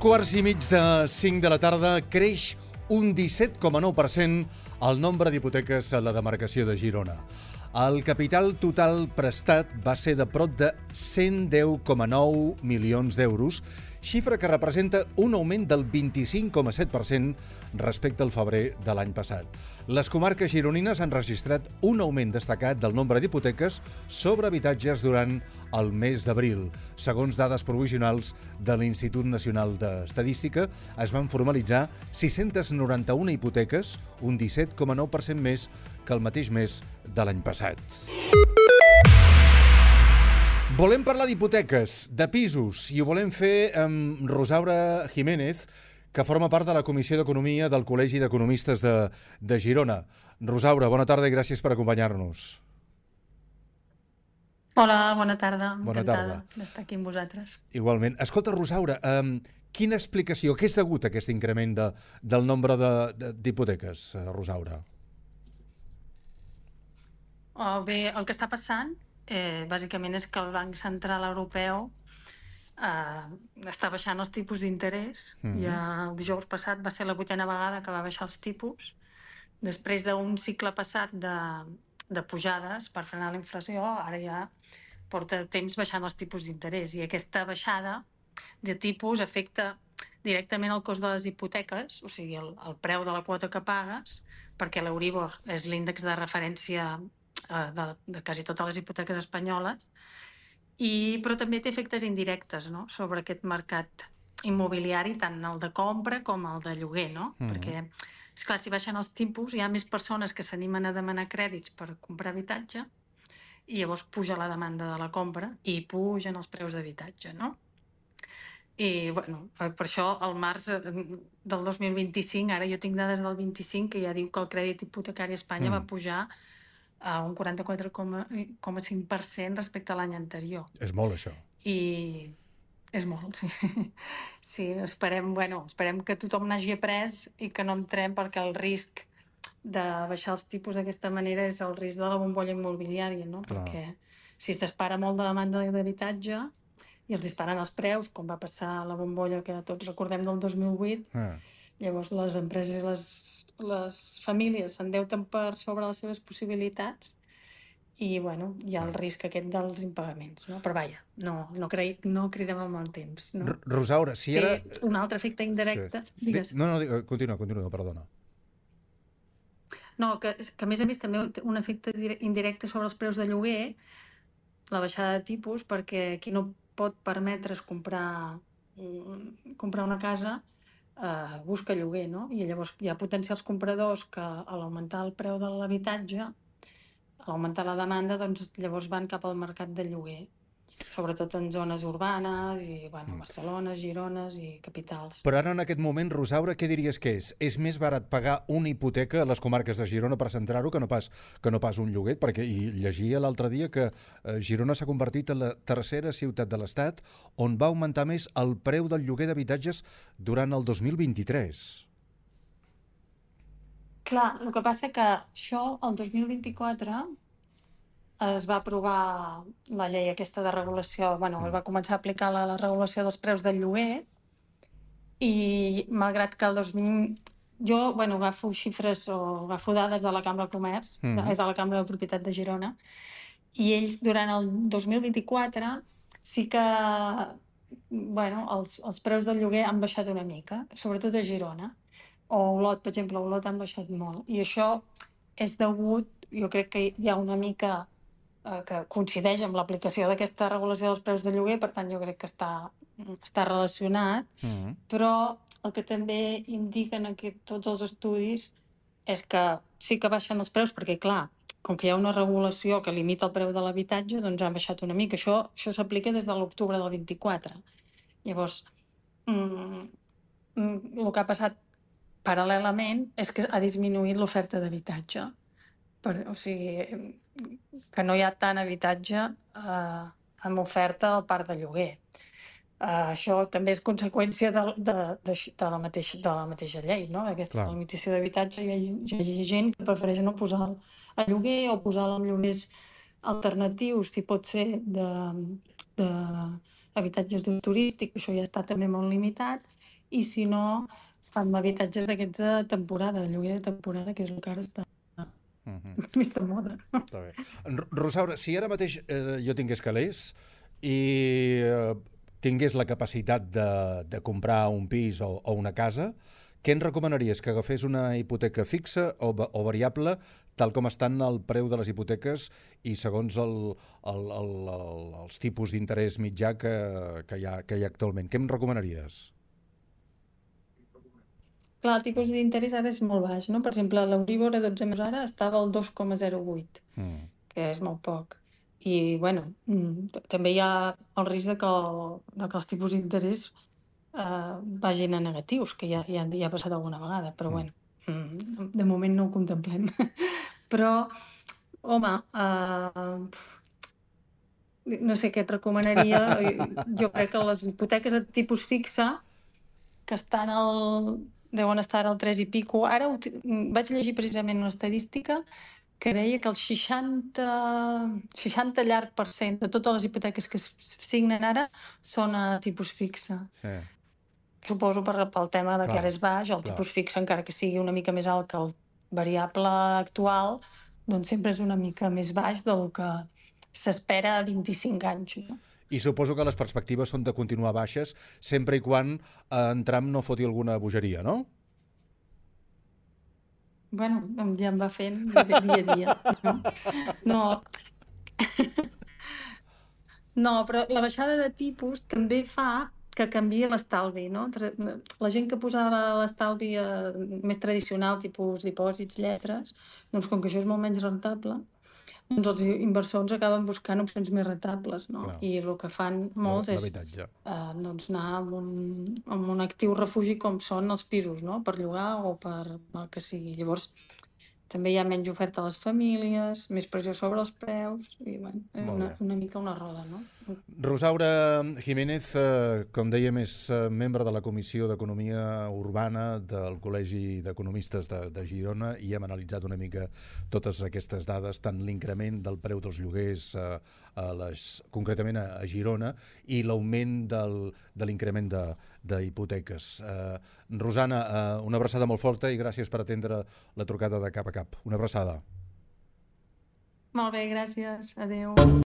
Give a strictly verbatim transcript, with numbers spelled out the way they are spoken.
quarts i mig de cinc de la tarda creix un disset coma nou per cent el nombre d'hipoteques a la demarcació de Girona. El capital total prestat va ser de prop de cent deu coma nou milions d'euros, xifra que representa un augment del vint-i-cinc coma set per cent respecte al febrer de l'any passat. Les comarques gironines han registrat un augment destacat del nombre d'hipoteques sobre habitatges durant el mes d'abril. Segons dades provisionals de l'Institut Nacional d'Estadística, es van formalitzar sis-centes noranta-una hipoteques, un disset coma nou per cent més que el mateix mes de l'any passat. Volem parlar d'hipoteques, de pisos, i ho volem fer amb Rosaura Jiménez, que forma part de la Comissió d'Economia del Col·legi d'Economistes de, de Girona. Rosaura, bona tarda i gràcies per acompanyar-nos. Hola, bona tarda. Bona Encantada tarda. d'estar aquí amb vosaltres. Igualment. Escolta, Rosaura, um, quina explicació, què és degut a aquest increment de, del nombre de, de, d'hipoteques, Rosaura? Oh, bé, el que està passant eh, bàsicament és que el Banc Central Europeu eh, està baixant els tipus d'interès. Mm-hmm. Ja el dijous passat va ser la vuitena vegada que va baixar els tipus, després d'un cicle passat de, de pujades per frenar la inflació. Ara ja porta temps baixant els tipus d'interès, i aquesta baixada de tipus afecta directament el cost de les hipoteques, o sigui, el, el preu de la quota que pagues, perquè l'Euríbor és l'índex de referència eh, de, de quasi totes les hipoteques espanyoles, i, però també té efectes indirectes, no?, sobre aquest mercat immobiliari, tant el de compra com el de lloguer, no? Mm-hmm. Perquè, esclar, si baixen els tipus, hi ha més persones que s'animen a demanar crèdits per comprar habitatge, i llavors puja la demanda de la compra i pugen els preus d'habitatge, no? I, bueno, per això el març del dos mil vint-i-cinc, ara jo tinc dades del vint-i-cinc, que ja diu que el crèdit hipotecari a Espanya mm. va pujar a un quaranta-quatre coma cinc per cent respecte a l'any anterior. És molt, això. I és molt, sí. Sí, esperem, bueno, esperem que tothom n'hagi après i que no entrem, perquè el risc de baixar els tipus d'aquesta manera és el risc de la bombolla immobiliària, no? Clar. Perquè si es dispara molt de demanda d'habitatge i els disparen els preus, com va passar a la bombolla que tots recordem del dos mil vuit, ah. llavors les empreses i les, les famílies s'endeuten per sobre les seves possibilitats i, bueno, hi ha el risc aquest dels impagaments, no? Però vaja, no, no, cre... no cridem amb el temps, no? Rosaura, si ara... Té un altre efecte indirecte... Sí. Digues. No, no, continua, continua, perdona. No, que, que a més a més també té un efecte indirecte sobre els preus de lloguer, la baixada de tipus, perquè qui no pot permetre's comprar, comprar una casa eh, busca lloguer, no? I llavors hi ha potencials compradors que a l'augmentar el preu de l'habitatge, a l'augmentar la demanda, doncs llavors van cap al mercat de lloguer, sobretot en zones urbanes i, bueno, Barcelona, Girona i capitals. Però ara en aquest moment, Rosaura, què diries que és? És més barat pagar una hipoteca a les comarques de Girona, per centrar-ho, que no pas, que no pas un lloguer? Perquè hi llegia l'altre dia que eh, Girona s'ha convertit en la tercera ciutat de l'Estat on va augmentar més el preu del lloguer d'habitatges durant el dos mil vint-i-tres. Clar, el que passa que això, el dos mil vint-i-quatre, es va aprovar la llei aquesta de regulació, bueno, es va començar a aplicar la, la regulació dels preus del lloguer, i malgrat que el dos mil... Jo, bueno, agafo xifres o agafo dades de la Cambra de Comerç, mm-hmm. de, de la Cambra de Propietat de Girona, i ells durant el dos mil vint-i-quatre sí que, bueno, els, els preus del lloguer han baixat una mica, sobretot a Girona, o Olot, per exemple, a Olot han baixat molt, i això és degut, jo crec que hi ha una mica que coincideix amb l'aplicació d'aquesta regulació dels preus de lloguer, per tant jo crec que està, està relacionat, mm-hmm. però el que també indiquen aquest, tots els estudis és que sí que baixen els preus, perquè clar, com que hi ha una regulació que limita el preu de l'habitatge, doncs han baixat una mica. Això, això s'aplica des de l'octubre del vint-i-quatre. Llavors, mm, el que ha passat paral·lelament és que ha disminuït l'oferta d'habitatge. Per, o sigui, que no hi ha tant habitatge eh, amb oferta al parc de lloguer. Eh, això també és conseqüència de, de, de, de, la, mateix, de la mateixa llei, no? Aquesta Clar. limitació d'habitatge. Hi ha, hi ha gent que prefereix no posar a lloguer o posar-lo en lloguers alternatius, si pot ser de, de habitatges d'ús turístic, això ja està també molt limitat, i si no, amb habitatges d'aquests de temporada, de lloguer de temporada, que és el que ara està Mhm. més de moda. Està bé. R- Rosaura, si ara mateix eh, jo tingués calés i eh, tingués la capacitat de, de comprar un pis o, o una casa, què em recomanaries? Que agafés una hipoteca fixa o, va- o variable, tal com estan el preu de les hipoteques i segons el, el, el, el, els tipus d'interès mitjà que, que, hi ha, que hi ha actualment? Què em recomanaries? Clar, el tipus d'interès ara és molt baix, no? Per exemple, l'Euríbor a dotze mesos ara estava al dos coma zero vuit, Mm. que és molt poc. I, bueno, mm, t- també hi ha el risc de que, el, de que els tipus d'interès eh, vagin a negatius, que ja, ja, ja ha passat alguna vegada, però Mm. bueno, mm, de moment no ho contemplem. Però, home, eh, no sé què et recomanaria. eh, Jo crec que les hipoteques de tipus fixa, que estan al... deuen estar al tres i pico. Ara uti- mm, vaig llegir precisament una estadística que deia que el seixanta, seixanta llarg per cent de totes les hipoteques que es signen ara són a tipus fixa. Sí, Suposo per, pel tema de que ara clar, és baix, el clar. tipus fixe, encara que sigui una mica més alt que el variable actual, doncs sempre és una mica més baix del que s'espera a vint-i-cinc anys. No? I suposo que les perspectives són de continuar baixes sempre i quan eh, en Trump no foti alguna bogeria, no? Bueno, em- ja em va fent dia, dia a dia. No? No, no, però la baixada de tipus també fa que canvia l'estalvi, no? Tra- La gent que posava l'estalvi eh, més tradicional, tipus dipòsits, lletres, doncs com que això és molt menys rentable, doncs els inversors acaben buscant opcions més rentables, no? Clar, I el que fan l'ha- molts és l'habitatge. eh, doncs anar amb un, amb un actiu refugi com són els pisos, no? Per llogar o per el que sigui. Llavors, també hi ha menys oferta a les famílies, més pressió sobre els preus, i bueno, és Molt una, bé. una mica una roda, no? Rosaura Jiménez, eh, com dèiem, és eh, membre de la Comissió d'Economia Urbana del Col·legi d'Economistes de, de Girona i hem analitzat una mica totes aquestes dades, tant l'increment del preu dels lloguers eh, a les, concretament a, a Girona i l'augment del, de l'increment de, d'hipoteques. Eh, Rosana, eh, una abraçada molt forta i gràcies per atendre la trucada de cap a cap. Una abraçada. Molt bé, gràcies. Adéu.